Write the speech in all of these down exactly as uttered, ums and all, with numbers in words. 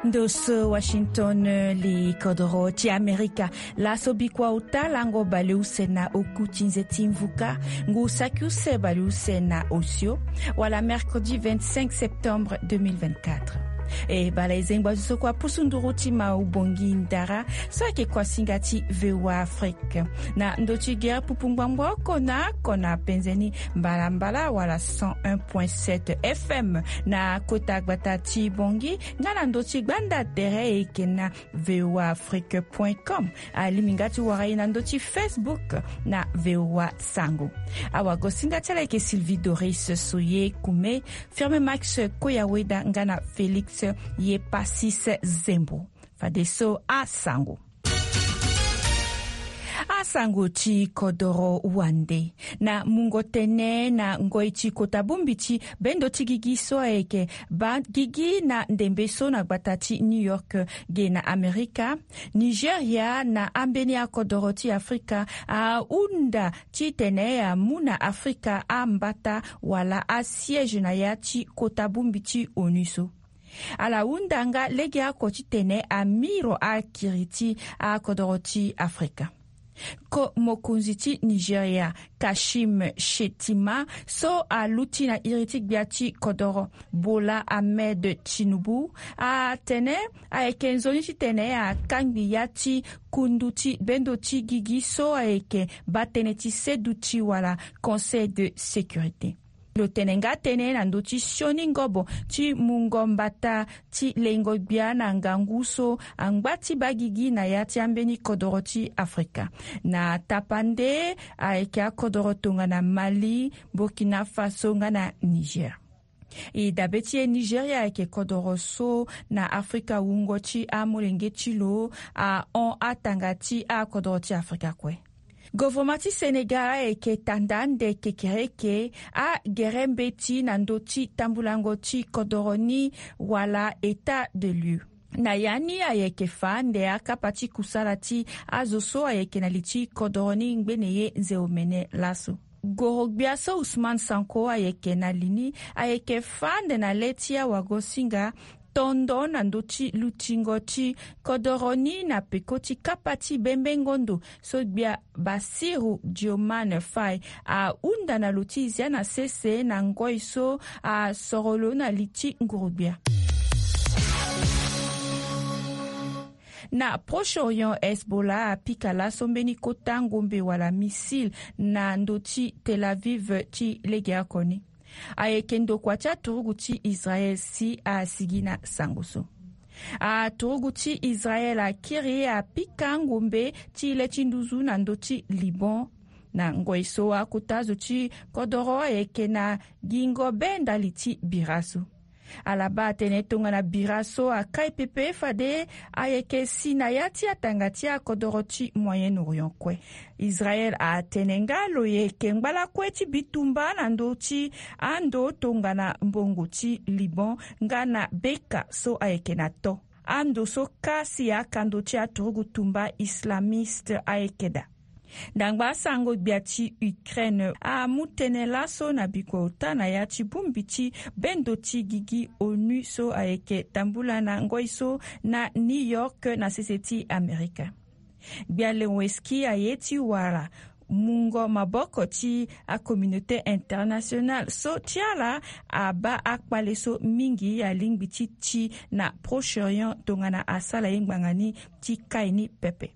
Ndo so Washington, li kodoro ti Amerika. Laso bikua ota lango baleuse na oku ti nze ti mvuka, ngu saki use baleuse na osio, wala mercredi vingt-cinq septembre deux mille vingt-quatre. E bala e zengba zo so kua pusu nduru ti ma ubongi ndara so ayeke kuasinga ti V O A Afrique. Na ndö ti gere pupu ngbangbo oko na oko na penze ni mbalambala wala cent un point sept F M na kota gbata ti Bongi, nga na ndö ti gbanda tere e yeke na V O A Afrique point com. Alingbi nga ti wara e na ndö ti Facebook na V O A Sango. Awagosinga ti ala ayeke Sylvie Doris Soye Kume, Firme Max Koyaweda nga na Félix Yepasis Zembo. Fadeso asango. Asango ti kodoro wande. Na mungo tene na ngoi ti kota bongbi ti bendo ti gigi so ayeke baa gigi na ndembe so na gbata ti New York ge na Amerika, Nigeria na ambeni akodoro ti Afrika ahunda titene amu na Afrika ambata wala asiège na ya ti kota bongbi ti onu so. Ala hunda nga legeoko titene amiro akiri ti akodoro ti Afrika. Ko mokonzi ti Nigeria, Kashim Shettima, so aluti na iri ti gbia ti kodoro, Bola Ahmed Tinubu, atene ayeke nzoni titene akangbi ya ti kundu ti bendo ti gigi so ayeke baa tënë ti seduti wala Conseil de sécurité. Lo tene nga tënë na ndö ti sioni ngobo ti mungo mbata ti lengo gbia na ngangu so angba ti baa gigi na ya ti ambeni kodoro ti Afrika. Na tapande ayeke akodoro tongana Mali, Burkina Faso nga na Niger. E dabe ti e, Nigeria ayeke kodoro so na Afrika wungo ti amolenge ti lo ahon atanga ti akodoro ti Afrika kue. Govoroma ti Sénégal ayeke tanda ande kekereke agere mbeti na ndö ti tambulango ti kodoro ni wala état de lieu. Na ya ni ayeke fa ande akapa ti kusala ti azo so ayeke na li ti kodoro ni ngbene ye nze omene laso. Gorogbia so Ousmane Sonko ayeke na li ni ayeke fa ande na le ti awagosinga tondo na ndö ti lutingo ti kodoro ni na peko ti kapa ti bembengo ndo so gbia Bassirou Diomaye Faye ahunda na lo ti zia na sese na ngoi so asoro lo na li ti ngurugbia. Na Proche-Orient, Hezbollah apika laso mbeni kota ngombe wala missile na ndö ti Tel Aviv ti legeoko ni. Ayeke ndokua ti aturugu ti Israel si asigi na sango so. Aturugu ti Israel akiri apika ngombe ti le ti nduzu na ndö ti Liban. Na ngoi so akota zo ti kodoro ayeke na gingo be ndali ti bira so. Ala baa atene tongana bira so akai pepe fade ayeke si na ya ti atanga ti akodoro ti Moyen-Orient kue. Israel atene nga lo yeke ngbalakue ti bitumba na ndö ti ando tongana mbongo ti Liban nga na Beka so ayeke na to. Ando so kasi akando ti aturugu tumba islamiste ayeke daa. Ndangba asango gbia ti Ukraine amu tënë laso na bikua ota na ya ti bongbi ti bendo ti gigi onu so ayeke tambula na ngoi so na New York na sese ti Amerika. Gbia Zelensky aye ti wara mungo maboko ti acommunauté internationale so ti ala abaa akpale so mingi alingbi ti ti na Proche-Orient tongana asala ye ngbanga ni ti kai ni pepe.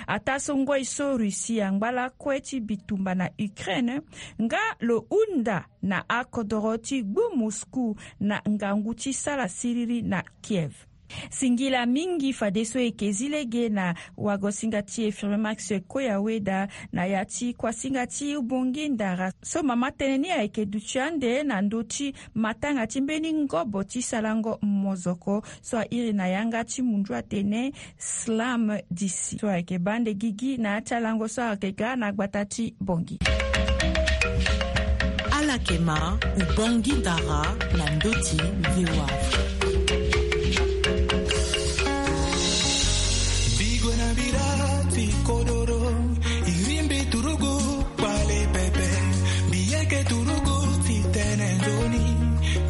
Ataa so ngoi so Russie angba lakue ti bitumba na Ukraine, nga lo hunda na akodoro ti gbu Moscou na ngangu ti sala siriri na Kiev. Singila mingi fadeso e yeke zi lege na wagosinga ti e Firme Max Koyaweda na ya ti kuasinga ti ubongi ndara so mama tënë ni ayeke duti ande na ndö ti matanga ti mbeni ngobo ti salango mozoko so airi na yanga ti mundu atene Slam D C so ayeke baa ande gigi na ya ti alango so ayeke ga na gbata ti Bongi. Ala yeke ma ubongi ndara na ndö ti V O A Afrique. Bigo na bira ti kodoro, iri mbi turugu kpale pepe, mbi yeke turugu ti tene nzoni,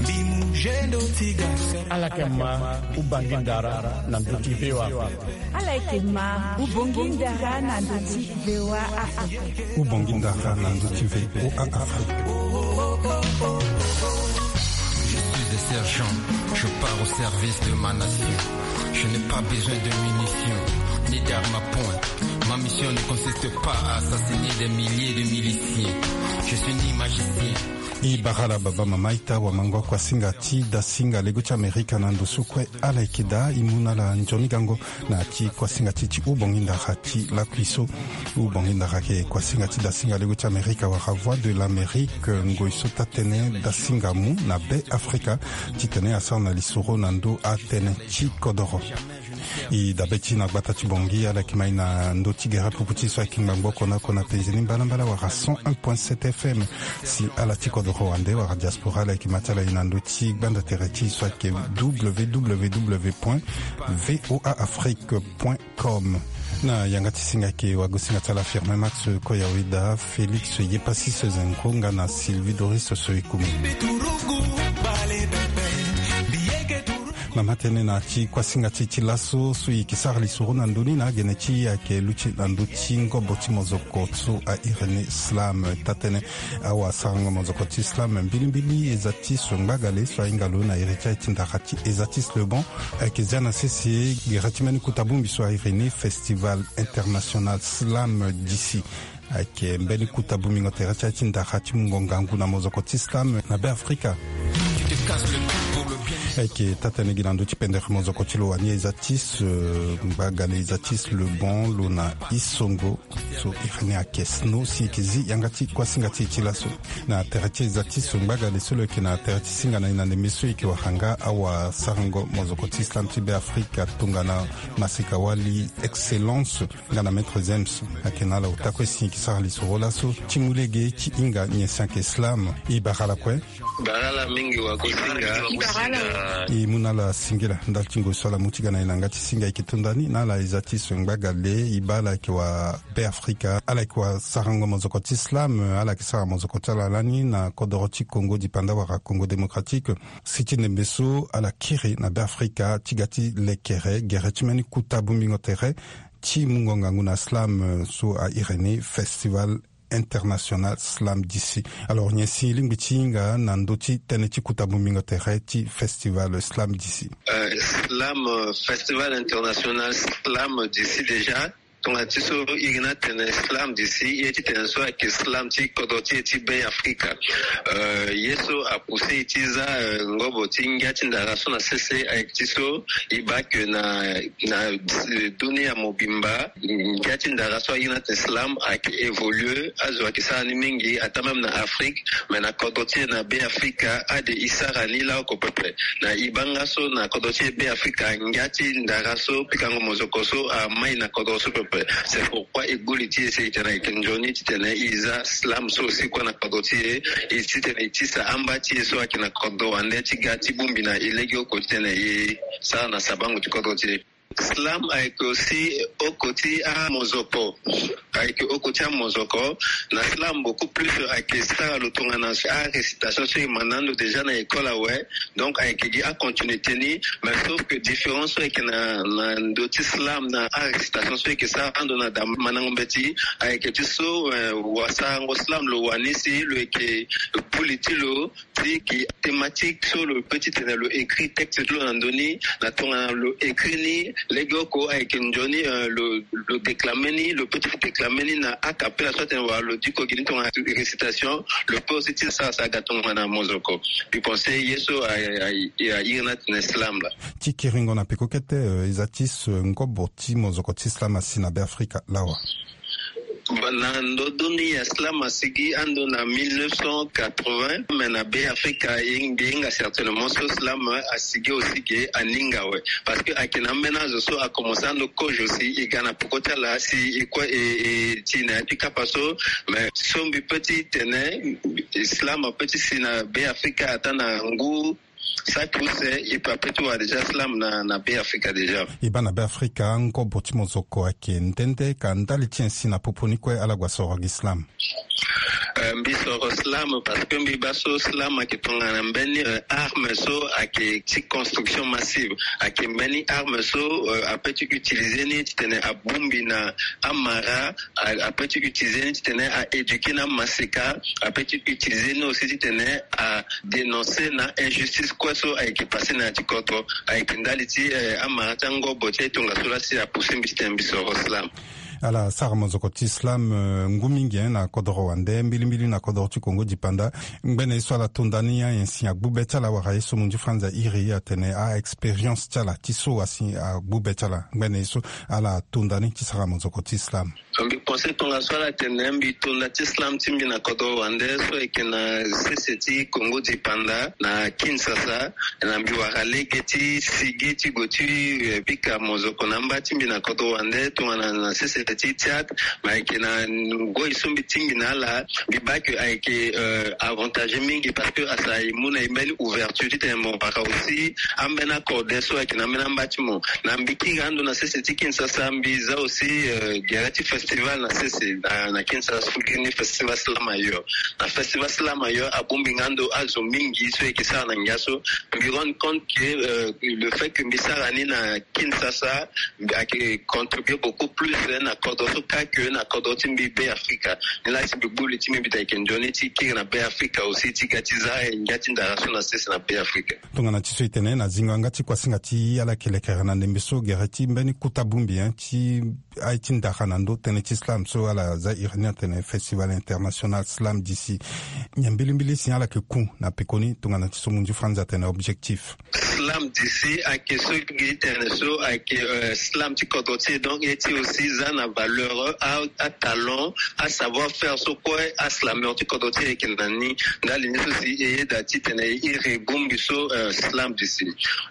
mbi mu zendo ti ga sere. Ala yeke ma ubongi ndara na ndö ti V O A Afrique. Ala yeke ma ubongi ndara na ndö ti V O A Afrique. Ubongi ndara na ndö ti V O A Afrique. Je suis un sergent, je pars au service de ma nation. Je n'ai pas besoin de munitions, ni d'armes à poing. Ma mission ne consiste pas à assassiner des milliers de miliciens. Je suis ni magicien. E bara ala baba mama ita wamango akuasinga ti dasinga lego ti Amerika na ndo so kue ala yeke daa. E mu na ala nzoni gango na ya ti kuasinga ti e ti ubongi ndara ti lakui so. Ubongi ndara ayeke kuasinga ti dasinga lego ti Amerika wala Voix de l'Amérique, ngoi so taa-tënë dasinga amu na Be Afrika titene asara na lisoro na ndo atënë ti kodoro. E dabe ti e na gbata ti Bangui, ala yeke ma e na ndö ti gere pupu ti e so ayeke ngbangbo oko na oko na penze ni mbalambala wala cent un point sept F M. Si ala ti kodoro wande wala diaspora, ala yeke ma ti ala e na ndö ti gbanda tere ti e so ayeke W W W point V O A Afrique point com. Na yanga ti singa ayeke wagosinga ti ala Firmin Max Koyaweda, Félix Yepasis Zenko nga na Sylvie Doris Soyekumi. Na matene na ya ti kuasinga ti e ti laso so e yeke sara lisoro na ndö ni na agene ti e ayeke luti na ndö ti ngobo ti mozoko so a iri ni slam. Taa-tënë awasarango mozoko ti slam mbilimbili e za ti so ngbagale so ahinga lo na iri ti aye ti ndara ti Esatis Le Bon ayeke zia na sese gere ti mbeni kuta bongbi so a iri ni Festival International Slam d'ici. Ayeke mbeni kuta bongbingo tere ti aye ti ndara ti mungo ngangu na mozoko ti slam na Be Afrika. Ayeke taa-tënë gi na ndö ti pendere mozoko ti lo wani Esatis, euh, ngbagale Esatis Le Bon, lo na Isongo so iri ni ayeke Snow, si e yeke zi yanga ti kuasinga ti e ti laso. Na tere ti Esatis ngbagale so lo yeke na tere ti singa na e na ndembe so e yeke wara nga awasarango mozoko ti slam ti Be Afrika tongana maseka wali Excellence nga na Maître Zems. Ayeke na ala ota kue si e yeke sara lisoro laso ti mu lege ti hinga nyen si ayeke slam. E bara ala kue. Bara ala mingi wagosinga. E bara ala. E mu na ala singila ndali ti ngoi so ala mu ti ga na e na yanga ti singa. E yeke to nda ni na ala Esatis ngbagale, e baa ala yeke wa Be Afrika, ala yeke wasarango mozoko ti slam, ala yeke sara mozoko ti ala lani na kodoro ti Congo dipanda wala Congo Démocratique. Si ti ndembe so ala kiri na Be Afrika ti ga ti lekere gere ti mbeni kuta bongbingo tere ti mungo ngangu na slam so a iri ni Festival International Slam d'ici. Alors nyen si e lingbi ti hinga na ndö ti tënë ti kuta bongbingo tere ti Festival Slam d'ici? Euh, Slam, euh, Festival International Slam d'ici déjà. Tongana ti so iri ni atene slam d'ici, ye ti tene so ayeke slam ti kodro ti e ti Be Afrika. Euh, ye so apousse e ti za, euh, ngobo ti ngia ti ndara so na sese ayeke ti so e baa ke na, na, euh, dunia mobimba, ngia ti ndara so airi ni atene slam ayeke évoluer, azo ayeke sara ni mingi, ata même na Afrique, mais na kodro ti e na Be Afrika, ade e sara ni laoko pepe. Na e baa nga so na kodro ti e Be Afrika, ngia ti ndara so pikango mozoko so amai na kodro so pepe. C'est pourquoi e gbu li ti e si e tene ayeke nzoni titene e za slam so aussi kue na kodro ti e, e titene e tisa amba ti e so ayeke na kodro wande ti ga ti bongbi na e lege oko titene e sara na sabango ti kodro ti e. Slam ayeke aussi oko ti amozoko. Ayeke oko ti amozoko. Na slam beaucoup plus ayeke sara lo tongana arécitation so e ma na ando déjà na école awe. Donc ayeke gi acontinuité ni, mais sauf que différence so ayeke na, na ndö ti slam na arécitation so ayeke sara ando na da mandango mbeti, ayeke ti so, euh, wasarango slam lo wani si lo yeke gbu li ti lo ti gi thématique so lo peut titene lo écrit texte ti lo na ndö ni, na tongana lo écrit ni lege oko ayeke nzoni, euh, lo, lo déclame ni, lo peut ti déclame ni na a cappella so atene wala lo diko gi ni tongana récitation, lo peut aussi ti sara sara ga tongana mozoko. Mbi pense ye so a, a, a, a iri ni atene slam laa. Ti kiringo na peko kete, euh, e za ti so ngobo ti mozoko ti slam asi na Be Afrika lawa. Ba na ndö doni ya slam asigi ando na mille neuf cent quatre-vingts, mais na Be Afrika e, e hinga certainement so slam asigi aussi ge aninga awe. Parce que ayeke na ambeni azo so akomanse ando kozo si e ga na peko ti ala si e kue e, e ti na ya ti kapa so, mais so mbi peut ti tene slam apeut ti si na Be Afrika ata na ngu saki use, e peut apeut ti wara déjà slam na, na Be Afrika déjà. E baa na Be Afrika ngobo ti mozoko ayeke nde nde ka ndali ti nyen si na popo ni kue ala gue asoro gi slam? Euh, mbi soro slam parce que mbi baa so slam ayeke tongana mbeni, euh, arme so ayeke ti construction massive. Ayeke mbeni arme so, euh, ape ti utiliser ni titene abongbi na amara, a- ape ti utiliser ni titene a éduquer na amaseka, ape ti utiliser ni aussi titene a dénoncer na injustice kue so ayeke passer na ya ti kodro. Ayeke ndali ti, euh, amara ti angobo ti aye tongaso laa si apousser mbi titene mbi soro slam. Ala sara mozoko ti slam, euh, ngu mingi, hein, na kodoro wande, mbilimbili na kodoro ti Kongo dipanda. Ngbene ye so ala to nda ni, ayen si agbu be ti ala wala ye so munzu franz airi atene a-expérience ti ala ti so asi agbu be ti ala. Ngbene ye so ala to nda ni ti sara mozoko ti slam. Mbi pense tongaso ala tene mbi to nda ti slam ti mbi na kodoro wande so ayeke na sese ti Kongo dipanda na Kinshasa. Na mbi wara lege ti sigi ti gue ti, eh, pika mozoko na amba ti mbi na kodro wande tongana na sese ti Tchad. Ma ayeke na ngoi so mbi tingbi na ala, mbi baa ke ayeke, euh, avantage mingi parce que asara e mu na e mbeni ouverture titene mo wara aussi ambeni akode so ayeke na ambeni amba ti mo. Na mbi kiri ando na sese ti Kinshasa, mbi za aussi, euh, gere ti festival na sese na, na Kinshasa so gi ni festival slam ailleurs. Na festival slam ailleurs abongbi nga ndo azo mingi so e yeke sara na ngia so. Mbi rendre compte que, euh, le fait que mbi sara ni na Kinshasa, mbi ayeke contribuer beaucoup plus, eh, na kodro so kâ que na kodro ti mbi Be Afrika. Ni laa si mbi gbu li ti mbi, mbi ta yeke nzoni ti kiri na Be Afrika aussi ti ga ti za, eh, ngia ti ndara so na sese na Be Afrika. Tongana ti so e tene na zingo yanga ti kuasinga ti ala yeke lekere na ndembe so gere ti mbeni kota bongbi, hein, ti aye ti ndara na ndö tënë ti slam so ala za iri ni atene Festival International Slam D C. Nyen mbilimbili si ala yeke ku na pekoni tongana ti so munzu franz atene objectif? Slam D C ayeke so gi tene so ayeke, euh, slam ti kodro ti e, donc e ti aussi za na valeur, a, atalent, asavoir-faire so kue aslameur ti kodro ti e ayeke na ni. Ndali ni so si e yeda titene e iri bongbi so, euh, slam D C.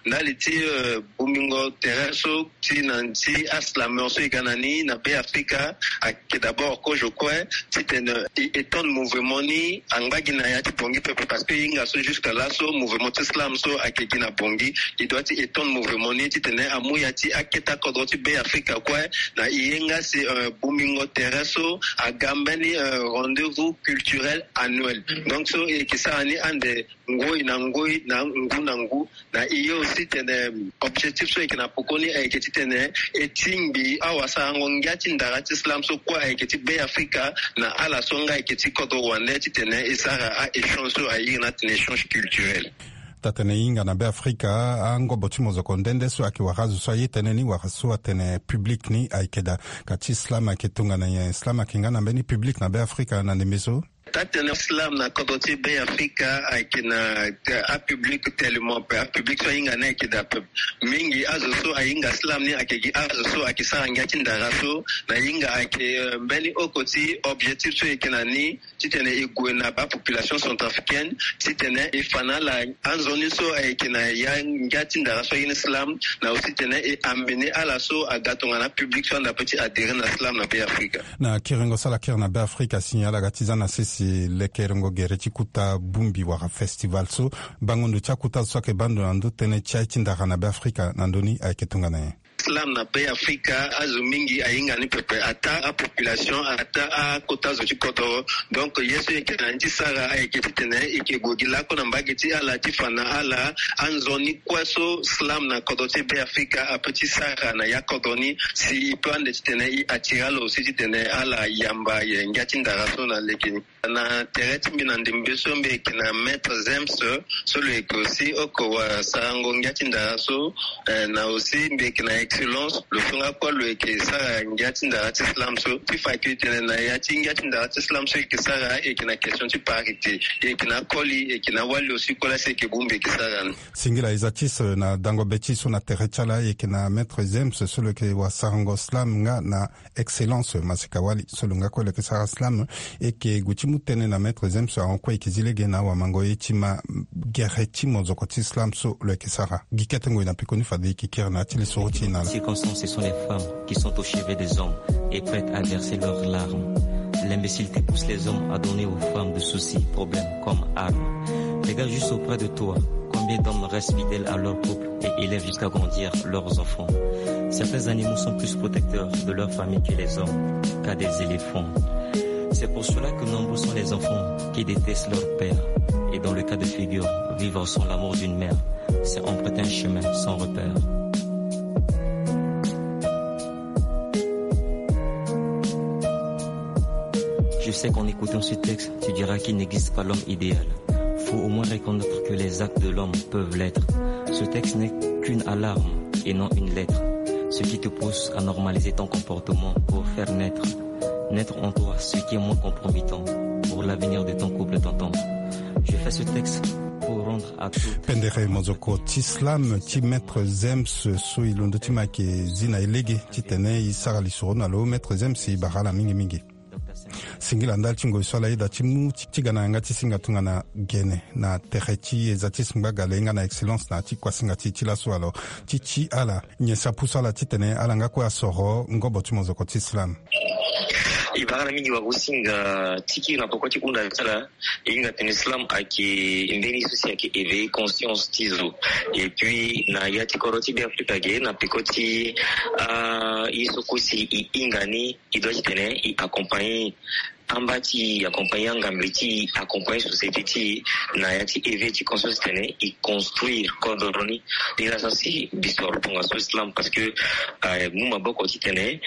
Ndali ti, euh, bongbingo tere so ti na ti aslameur so e ga na ni na Be Afrika ayeke d'abord kozo kue titene e étendre mouvement ni angba gi na ya ti Bangui peuple, parce que e hinga so jusque là so mouvement ti slam so ayeke gi na Bangui. E doit ti étendre mouvement ni titene amu ya ti akete akodro ti Be Afrika kue. Na e hinga si, euh, bongbingo tere so aga mbeni, euh, rendez-vous culturel annuel. Donc so e yeke sara ni ande ngoi na ngoi, na ngu na ngu. Na e ye aussi tene objectif so e yeke na pekoni ayeke titene e tingbi awasarango ngia ti ndara ti slam so kue ayeke ti Be Afrika na ala so nga ayeke ti kodro wande titene e sara a-échange so a iri ni atene échange culturel. Taa tene e hinga na Be Afrika, angobo ti mozoko nde nde so ayeke wara azo so aye tënë ni wala so atene public ni ayeke daa. Ka ti slam ayeke tongana nyen? Slam ayeke nga na mbeni public na Be Afrika na ndembe so? Taa tene slam na kodro ti Be Afrika ayeke na, eh, apublic tellement pe, apublic so ahinga ni ayeke daa pe. Mingi azo so ahinga slam ni ayeke gi azo so ayeke sara ngia ti ndara so. Na e hinga ayeke, eh, mbeni oko ti objectif so e yeke na ni titene e gue na bapopulation centrafricaine titene e fa na ala anzoni so ayeke na ya ngia ti ndara so aye ni slam, na aussi titene e amener ala so aga tongana public so anda pe ti adhérer na slam na Be Afrika. Na kiringo so ala kiri na Be Afrika si ala ga ti za na sese lekerengo gere ti kota bongbi wala festival so, bango ndo ti akota azo so ayeke baa ndo na ndö tënë ti aye ti ndara na Be Afrika na ndö ni ayeke tongana nyen? Slam na Be Afrika azo mingi ahinga ni pepe, ataa apopulation, ataa akota zo ti kodro. Donc ye so e yeke na ni ti sara ayeke titene e yeke gue gi lakue na mbage ti ala ti fa na ala anzoni kue so slam na kodro ti Be Afrika ape ti sara na ya kodro ni, si e peut ande titene e attire ala aussi titene ala yamba ye ngia ti ndara so na lege ni. Na tere ti mbi na ndembe so mbi yeke na Maître Zems, so lo yeke aussi oko wasarango ngia ti ndara so, eh, na aussi mbi yeke na Excellence, lo so nga kue lo yeke sara ngia ti ndara ti slam so. Ti fa e yeke tene na ya ti ngia ti ndara ti slam so e yeke sara, e yeke na question ti parité, e yeke na akoli, e yeke na awali aussi kue laa si e yeke bongbi e yeke sara ni. Singila e za ti so na dango be ti so na tere ti ala, e yeke na Maître Zems so lo yeke wasarango slam nga na Excellence Masika Wali, so lo nga kue lo yeke sara slam. E yeke gue ti mu tënë na Maître Zems ahon kue e yeke zi lege na awamango ye ti ma gere ti mozoko ti slam so lo yeke sara. Gi kete ngoi na pekoni fade e yeke kiri na ya ti lisoro ti e na ala. Circonstance, ce sont les femmes qui sont au chevet des hommes et prêtes à verser leurs larmes. L'imbécilité pousse les hommes à donner aux femmes de soucis, problèmes comme armes. Regarde juste auprès de toi, combien d'hommes restent fidèles à leur couple et élèvent jusqu'à grandir leurs enfants. Certains animaux sont plus protecteurs de leur famille que les hommes, cas des éléphants. C'est pour cela que nombreux sont les enfants qui détestent leur père et, dans le cas de figure, vivre sans l'amour d'une mère, c'est emprunter un chemin sans repère. Je sais qu'en écoutant ce texte, tu diras qu'il n'existe pas l'homme idéal. Faut au moins reconnaître que les actes de l'homme peuvent l'être. Ce texte n'est qu'une alarme et non une lettre. Ce qui te pousse à normaliser ton comportement pour faire naître, naître en toi ce qui est moins compromettant pour l'avenir de ton couple, tonton. Je fais ce texte pour rendre à toutes. Pendere mozoko ti slam ti maître Zems so e londo ti ma yeke zi na e lege titene e sara lisoro na lo. Maître Zems e bara ala mingi mingi. Singila ndali ti ngoi so ala yeda ti mu ti, ti ga na yanga ti singa tongana gene na tere ti eza ti singba gale nga na excellence na ti kuasinga ti, ti laso. Alors ti, ti ala nyen si apusu ala titene ala nga kue asoro ngobo ti mozoko ti slam? E bara na mingi wagosinga ti kiri na poko ti hunda ti ala. E hinga tene slam ayeke mbeni so si ayeke éveiller conscience ti zo. Et puis na ya ti kodro ti Beafrika ge na peko ti, ah, ye so kue si e hinga ni, e doit titene e accompagner amba ti e, accompagner angambe ti e, accompagner société ti e na ya ti éveil ti conscience titene e construire kodro ni. Ni la so si mbi soro tongaso slam parce que, ah, mu maboko titene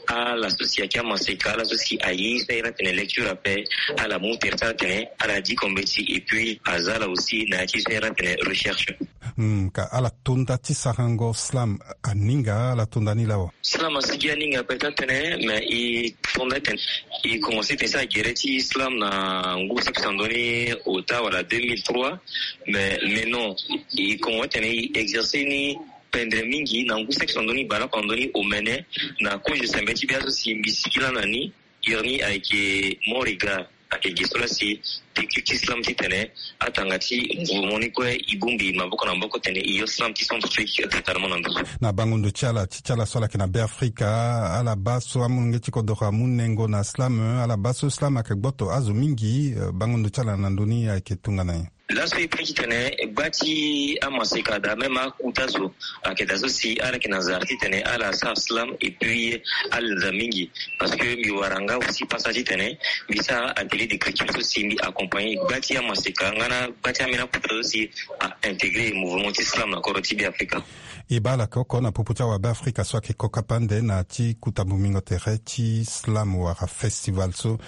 ala so si ayeke amaseka, ala so si aye so ahiri atene lecture ape, ala mu tere ti ala tene ala di kombe ti e, et puis aza ala aussi na ya ti so ahiri atene recherche. Hmm, ka ala tonda ti sarango slam aninga, ala tonda ni lawa? Slam asigi aninga peut-être tene, mais e tonda tene e commencé tene ti agere ti slam na ngu saki si andoni ota wala deux mille trois. Mais, mais non, e commencé tene e exercer ni pendere mingi na ngu saki si andoni baleoko andoni omene na kozo sembe ti bia so si mbi sigi lani na ni. Iri ni ayeke Moriga, ayeke ge so la si te culture slam titene atanga ti mouvement ni kue e bongbi maboko na maboko tene e yo slam ti centrafrique totalement na ndo so. Na bango ndo ti ala ti, ti ala so ala yeke na Beafrika, ala baa so amolenge ti kodoro amu nengo na slam, ala baa so slam ayeke gboto azo mingi, eh, bango ndo ti ala na ndö ni ayeke tongana nyen? Laso e pe titene gba ti amaseka daa même akuta so ayeke daa so si ala yeke na zara titene ala sara slam et puis ala za mingi. Parce que mbi wara nga aussi pasa titene mbi sara atelier d'écriture so si mbi accompagner gba ti amaseka nga na gba ti ambeni akuta so si a intégrer mouvement ti slam na kodro ti Beafrika. E baa ala yeke oko na popo ti awabe Afrika so ayeke kokapande na ti kuta bongbingo tere ti slam wala festival so.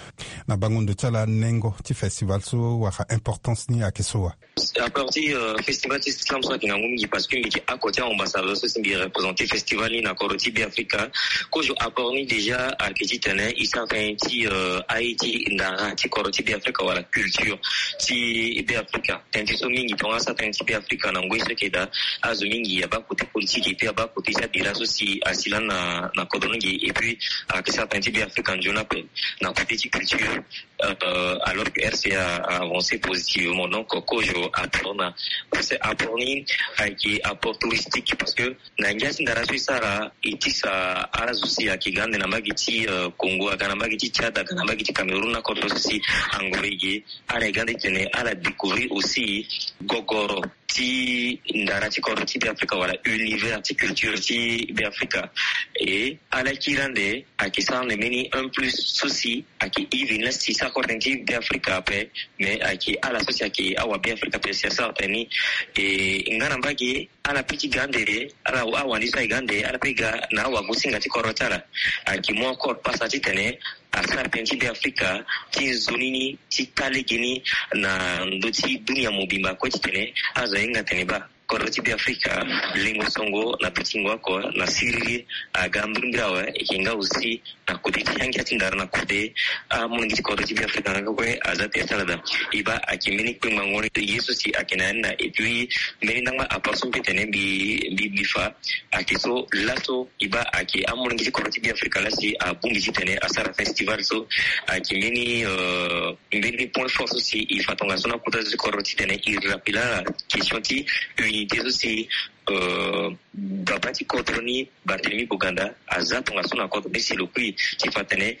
Na bango ndo ti ala nengo ti festival so wala importance ni ayeke so wa? Apport ti, euh, festival ti slam so ayeke ngangu mingi parce que mbi yeke oko ti ambassadeur so si mbi représenter festival ni na kodro ti Beafrika. Kozo apport ni déjà ayeke titene e sara tënë ti, euh, aye ti ndara ti kodro ti Beafrika wala culture ti Beafrika. Tënë ti so mingi tongaso atënë ti Beafrika na ngoi so ayeke daa azo mingi abaa kote politique et puis abaa kote ti abira so si asi lani na, na kodro ni ge et puis ayeke sara tënë ti Beafrika nzoni ape na kote ti culture. Euh, alors que R C A a avancé positivement. Donc kozo apport na, parce que apport ni ayeke apport touristique parce que na ngia ti ndara so e sara e tisa ala zo si ayeke ga ande na mbage ti, euh, Congo, aga na mbage ti Tchad, aga na mbage ti Cameroun na kodro so si angoro e ge. Ala e ga ande titene ala découvrir aussi gogoro ti ndara ti kodro ti Beafrika wala univers ti culture ti Beafrika. E ala kiri ande ayeke sara ande mbeni un plus so si ayeke e veni la si sara kue tënë ti Beafrika ape, mais ayeke ala so si ayeke awabe Afrika ape si asara tënë ni. E nga na mbage ala pe ti ga ande, ala awandi so aye ga ande ala pe ga na awagosinga ti kodro ti ala. Ayeke mu akoro pasa titene asara tënë ti Beafrika ti nzoni ni ti taa lege ni na ndö ti dunia mobimba kue titene azo ahinga tene baa kodro ti Beafrika lengo songo na betingo oko na siriri aga mbirimbiri awe. E yeke nga aussi na kode ti angia ti ndara na kode amolenge ti kodro ti Beafrika nga kue aza tere ti ala daa. E baa ayeke mbeni kpengbango ni ye so si ayeke na ya ni na et puis mbeni ndangba apport so mbi tene mbi, mbi, mbi fa ayeke so laso e baa ayeke amolenge ti kodro ti Beafrika la si abongbi titene asara festival so ayeke mbeni, euh, mbeni point fort so si e fa tongaso na kota so ti kodro titene e rappela question ti unité so si, euh, baba ti kodro ni Barthélemy Boganda aza tongaso na kodro ni si lo kui ti fa tene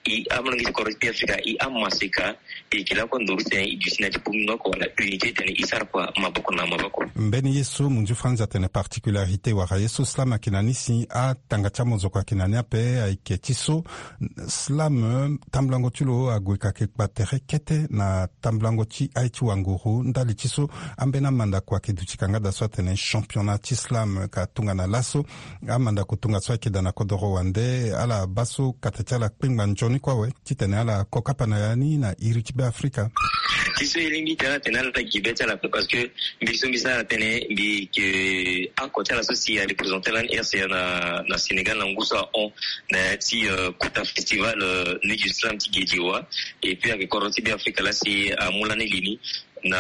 i amolenge ti kodro ti Be Afrika, i amaseka, e yeke lakue nduru ti tene i duti na ya ti bongbingo oko wala unité ti tene i sara kua maboko na maboko. Mbeni ye so munzu Franz atene particularité wala ye so slam ayeke na ni si atanga ti amozoko ayeke na ni ape ayeke ti so slam tambulango ti lo ague ka yeke kpa tere kete na tambulango ti aye ti wanguru ndali ti so ambeni amandako ayeke duti kangada so atene championnat ti slam ka tongana laso. Amandako tongaso ayeke daa na kodoro wande ala baa so kata ti ala kpengba nzoni kue awe titene ala ko kapa na ya ni na iri ti Be Afrika. Ti so e lingbi ti ala tene ala gi be ti ala ape parce que mbi so mbi sara tënë mbi yeke oko ti ala so si arepresente lani R C A na, na Sénégal na ngu so ahon na ya ti, euh, kota festival, euh, Nuit du Slam ti Guédiawaye. Et puis ayeke kodro ti Be Afrika laa si amu lani li ni na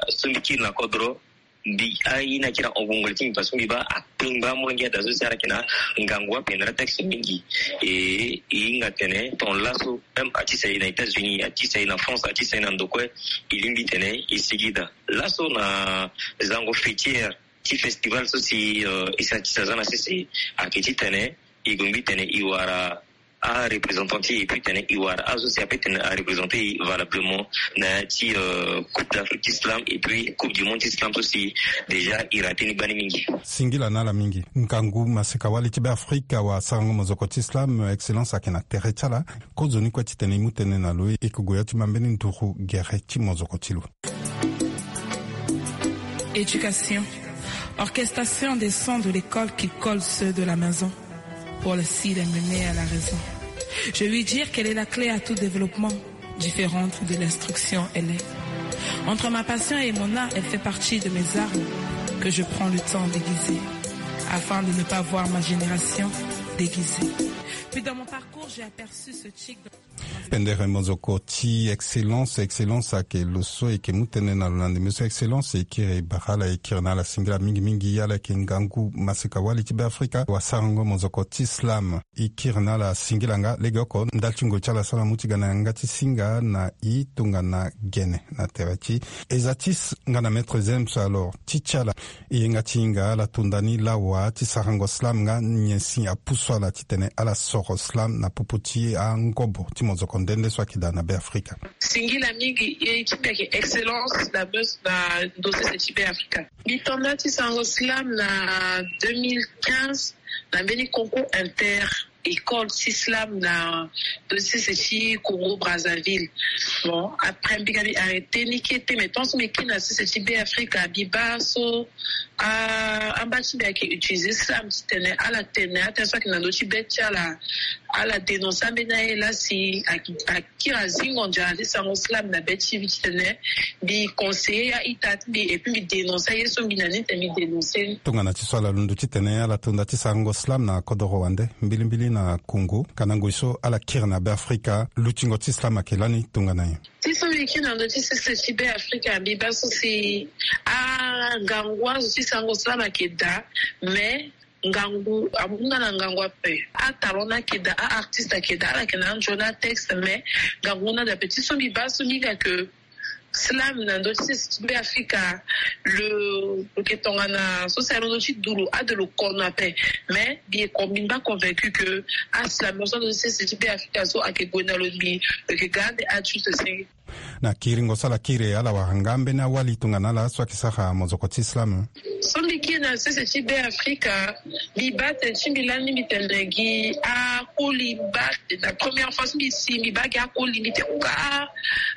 so mbi kiri na kodro. Mbi aye ni akiri ahon gongoli ti mbi parce que mbi baa akpengba amolenge daa so si ala yeke na ngangu ape na ala texte mingi. E, e hinga tene ton laso même ati sa e na États-Unis, ati sa e na France, ati sa e na ndo kue, e lingbi tene e sigi daa. Laso na zango fêtière ti festival so si, euh, e sa ti sa aza na sese ayeke titene e lingbi tene e wara areprésentant ti e, e puis tene e wara azo si ape tene areprésente e valablement na ya ti, euh, Coupe d'Afrique ti slam et puis Coupe du Monde ti slam so si déjà e rate ni gbani mingi. Singila na ala mingi. Ngangu maseka wali ti Be Afrika wa sarango mozoko ti slam, excellence ayeke na tere ti ala. Kozoni kue titene e mu tënë na lo, e yeke gue ya ti ma mbeni nduru gere ti mozoko ti lo. Éducation. Orchestration des sons de l'école qui collent ceux de la maison pour le cire mener à la raison. Je lui dire qu'elle est la clé à tout développement, différente de l'instruction, elle est. Entre ma passion et mon art, elle fait partie de mes armes que je prends le temps d'aiguiser afin de ne pas voir ma génération déguisée. Puis dans mon parcours, j'ai aperçu ce chic. Pendere mozoko ti excellence, excellence ayeke lo so e yeke mu tënë na lo na ndembe so excellence e kiri e bara ala e kiri na ala singila mingi mingi. Ala yeke ngangu maseka wali ti Be Afrika wa sarango mozoko ti slam. E kiri na ala singila nga legeoko ndali ti ngoi ti ala so ala mu ti ga na yanga ti singa na e tongana gene na tere ti Ezatis nga na Maître Zems. Alors ti ti ala e yenga ti hinga ala tonda ni lawa ti sarango slam nga nyen si apusu ala titene ala soro slam na popo ti angobo ti mozoko nde nde so ayeke daa na Be Afrika. Singila mingi e ti mbi ayeke excellence na meuse na ndo sese ti Be Afrika. Mbi tonda ti sarango slam na deux mille quinze na mbeni concours inter école ti slam na ndo sese ti Congo Brazzaville. Bon, après mbi ga mbi arrêté ni kete, mais tant so mbi kiri na sese ti Be Afrika mbi baa so, ah, amba ti mbi ayeke utiliser slam titene ala tene atene so ayeke na ndo ti be ti ala, ala dénoncer ambeni aye laa si a, a kiri azingo nzara ti sarango slam na be ti mbi titene mbi conseiller a-ita ti mbi et puis mbi dénoncer aye so mbi na ni titene mbi dénoncer ni. Tongana ti so ala londo titene ala tonda ti sarango slam na kodoro wande mbilimbili na Congo, ka na ngoi so ala kiri na Be Afrika, lutingo ti slam ayeke lani tongana nyen? Ti so mbi kiri na ndo ti sese ti Be Afrika mbi baa so si angangu azo ti sarango slam ayeke daa, mais ngangu amu nga na ngangu ape. Atalon ni ayeke daa, a-artiste ayeke daa, ala yeke na anzoni atexte, mais ngangu ni daa ape. Ti so mbi baa so mbi hinga ke slam na ndo ti sese ti Be Afrika, lo, lo yeke tongana so si alondo ti du lo ade lo kono ape. Mais mbi yeke, mbi mba convaincu ke aslam so alondo ti sese ti Be Afrika so ayeke gue na lo, mbi lo yeke ga ande adulte senge. Na kiringo so ala kiri e, ala wara nga ambeni awali tongana ala so ayeke sara mozoko ti slam. So mbi kiri na sese ti Be Afrika, mbi baa tene ti mbi lani mbi tene gi akoli mbi baa, la première fois so mbi si mbi baa gi akoli mbi te kuka a,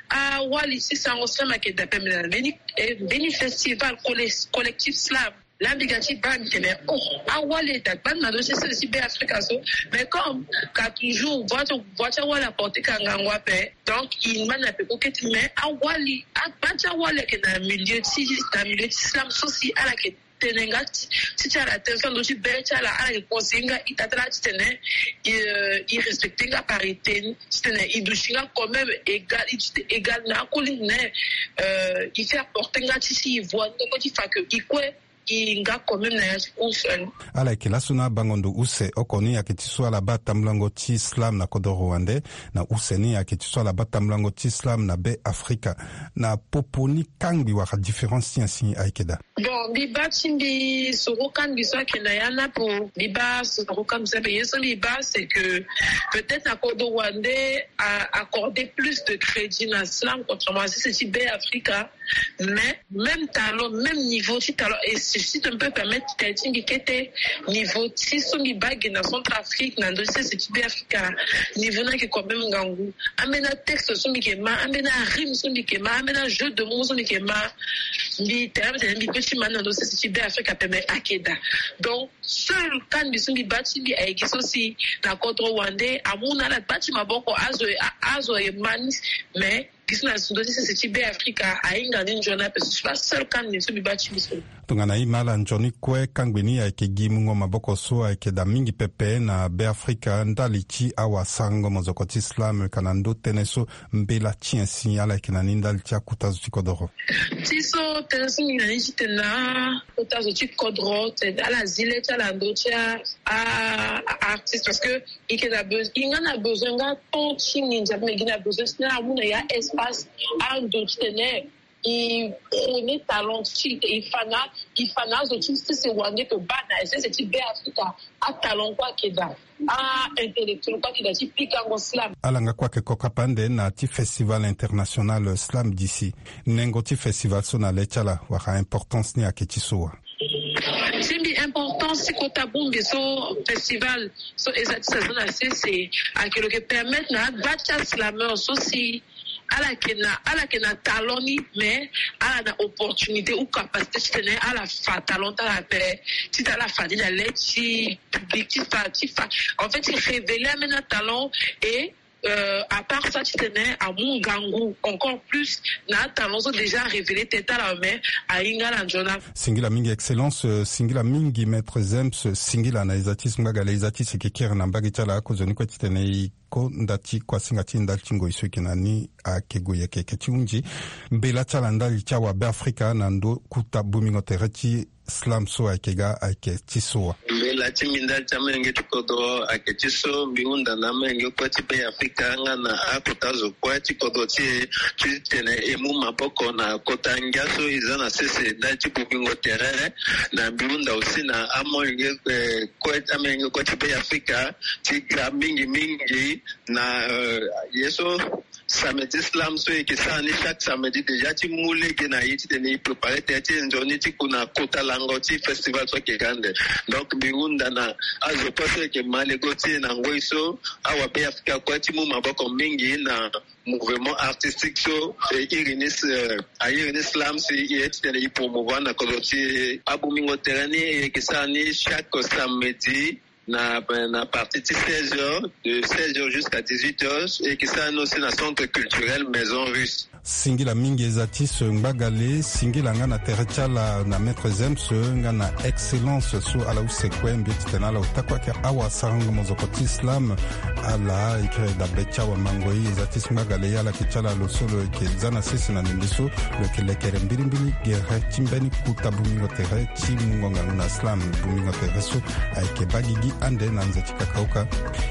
awali ti sarango slam ayeke daa ape. Mbi na mbeni, eh, mbeni festival colle-, collectif slam. Laa mbi ga ti baa mbi tene oh, awali e daa gbani na ndo ti sese ti Be Afrika so. Mais comme ka toujours voix ti, voix ti awali aporte ka ngangu ape, donc e ngba na peko kete. Mais awali, agba ti awali ayeke na milieu ti, na milieu ti slam so si ala yeke tene nga ti, ti, ti ala tene so na ndo ti be ti ala, ala yeke conseiller nga ita ti ala titene e, e respecter nga parité ni, titene e duti nga quand même égal, e duti égal na akoli ni, euh, e fait apporter nga ti si e voix ni kue ti fa ke e kue e nga quand même na ya ti course. Ala yeke laso na abango ndo use oko ni ayeke ti so ala baa tambulango ti slam na kodro rwandais, na use ni ayeke ti so ala baa tambulango ti slam na be afrika. Na popo ni kangbi wala différence ti nyen si ayeke daa? Bon, mbi baa ti mbi soro kangbi so ayeke na ya na apo. Mbi baa soro kangbi so ape ye so mbi baa c'est que peut-être na kodro rwandais a accordé plus de crédit na slam contrairement à sese ti be afrika. Mais même talent, même niveau ti talent, et si, si tu me peux permettre, tali ti mbi kete niveau ti so mbi baa ge na centrafrique na ndö ti sese ti be afrika, niveau ni ayeke quand même ngangu. Ambeni atexte so mbi yeke ma, ambeni arime so mbi yeke ma, ambeni ajeu de mot so mbi yeke ma, mbi tene mbi tene mbi pe ti ma ni na ndö ti sese ti be afrika ape, mais ayeke daa. Donc seul kangbi so mbi baa ti mbi ayeke so si na kodro rwandais amu na ala gbaa ti maboko azo, azo aye ma ni. Mais gi so na ndö ti sese ti be afrika ahinga ni nzoni ape. So si pas seul kangbi so mbi baa ti mbi so. Tongana e ma ala nzoni kue kangbi ni ayeke gi mungo maboko so ayeke daa mingi pepe na be afrika ndali ti awasarango mozoko ti slam ka na ndö tënë so. Mbela ti nyen si ala yeke na ni ndali ti akota zo ti kodoro? Ti so tënë so mbi na ni ti tene na akota zo ti kodro tene ala zi le ti ala ndö ti a, a, a artiste parce que i ke na besoin, i nga na besoin nga temps ti nginza me gi na besoin ti na amu na ya espace ando ti tene i prôner talent ti i fa na, i fa na azo ti sese wande to baa na sese ti be afrika. Atalent kue ayeke daa, a intellectuel kue ayeke daa ti pikango slam. Ala nga kue ayeke kokapa ande na ti festival international slam d'ici. Nengo ti festival so na le ti ala wala importance ni ayeke ti so wa? Ti mbi importance ti kota bongbi so festival so eza ti saison na sese ayeke lo yeke permettre na agba ti aslameur so si ala yeke na, ala yeke na talent ni mais ala na opportunité ou capacité ti tene ala fa talent ti ala ape. Ti tene ala fa ni na le ti public ti fa ti fa en fait ti révéler ambeni atalent. Et euh, à part ça ti tene amu ngangu encore plus na atalent so déjà révélé tene ti ala mais ahinga ala nzoni. Singila mingi excellence, euh, singila mingi maître zems, singila na eza ti so ngbagale eza ti si yeke kiri na mbage ti ala akozoni kue ti tene i ko nda ti kuasinga ti ndali ti ngoi so yeke na ni. Ayeke gue yeke yeke ti hunzi mbela ti ala ndali ti awabe afrika na ndo kuta bomingo tere ti slam so ayeke ga ayeke ti so wa? Mbela ti mbi ndali ti amolenge ti kodro ayeke ti so mbi hunda na amolenge kue ti be afrika nga na akota zo kue ti kodro ti e ti tene e mu maboko na kota ngia so e za na sese ndali ti bomingo tere. Na mbi hunda aussi na amolenge kue ti amolenge kue ti be afrika ti ga mingi mingi na ye so samedi slam so e yeke sara ni chaque samedi déjà ti mu lege na e ti tene e prépare tere ti e nzoni ti ku na kota lango ti festival so ayeke ga ande. Donc mbi hunda na azo kue so e yeke ma lego ti e na ngoi so awabe afrika kue ti mu maboko mingi na mouvement artistique so e iri ni, e iri ni slam si e ye ti tene e promouvoir na kodro ti e. Abomingo tere ni e yeke sara ni chaque samedi na, na partie ti seize heures, de seize heures jusqu'à dix-huit heures, e yeke sara ni aussi na centre culturel maison russe. Singila mingi eza ti so ngbagale singila nga na tere ti ala na maître zems nga na excellence so ala use kue mbi ti tene ala ota kue ayeke awasarango mozoko ti slam. Ala yeke dabe ti awamangoi eza ti so ngbagale ye ala yeke ti ala lo so lo yeke za na sese na ndembe so lo yeke lekere mbirimbiri gere ti mbeni kuta bomingo tere ti mungo ngangu na slam bomingo tere so ayeke baa gigi ande na nze ti kakauka.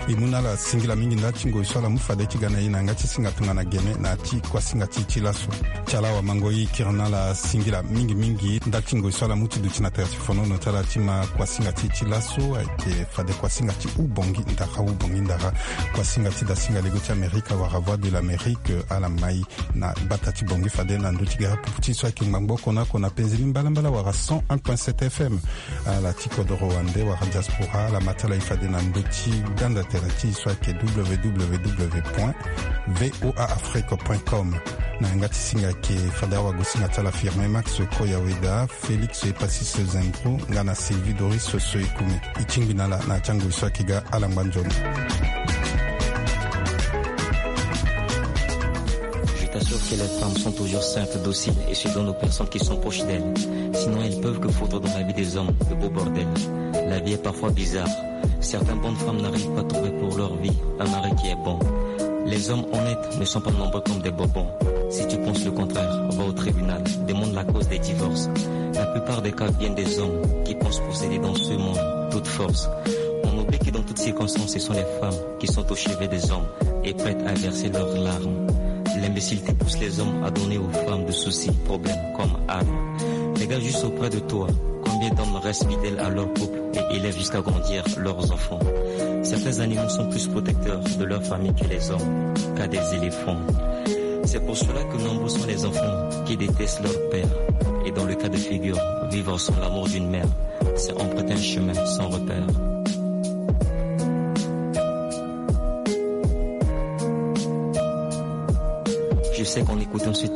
E mu na ala singila mingi ndali ti ngoi so ala mu fade ti ga na e na yanga ti singa tongana gene na ya ti kuasinga ti e ti laso. Ti ala awamangoi kiri na ala singila mingi mingi ndali ti ngoi so ala mu ti duti na tere ti fonono ti ala ti ma kuasinga ti e ti laso ayeke fade kuasinga ti hubongi ndara hubongi ndara. Kuasinga ti dasinga lego ti amerika wala voix de l'amérique ala mai na bata ti bongi fade na ndö ti gere pupu ti so ayeke ngbangbo oko na oko na penze ni mbalambala wala cent un point sept fm. Ala ti kodoro wande wala diaspora ala ma ti ala e fade na ndö ti ganda tere ti e so ayeke www point voa afrique point com. Na yanga ti singa ayeke fade awagosinga ti ala firme max koyaweda félix epasis zembro nga na sylvie doris so e kume. E tingbi na ala na ya ti angoi so ayeke ga ala ngba nzoni. Je t'assure que les femmes sont toujours simples, dociles et se donnent aux personnes qui sont proches d'elles. Sinon, elles peuvent que foutre dans la vie des hommes le beau bordel. La vie est parfois bizarre. Certaines bonnes femmes n'arrivent pas à trouver pour leur vie un mari qui est bon. Les hommes honnêtes ne sont pas nombreux comme des bobons. Si tu penses le contraire, va au tribunal, demande la cause des divorces. La plupart des cas viennent des hommes qui pensent posséder dans ce monde toute force. On oublie que dans toutes circonstances, ce sont les femmes qui sont au chevet des hommes et prêtes à verser leurs larmes. L'imbécilité pousse les hommes à donner aux femmes de soucis, problèmes comme armes. Regarde juste auprès de toi, combien d'hommes restent fidèles à leur couple et élèvent jusqu'à grandir leurs enfants. Certains animaux sont plus protecteurs de leur famille que les hommes, car des éléphants. C'est pour cela que nombreux sont les enfants qui détestent leur père et, dans le cas de figure, vivre sans l'amour d'une mère, c'est emprunter un chemin sans repère. Je sais qu'on écoute ensuite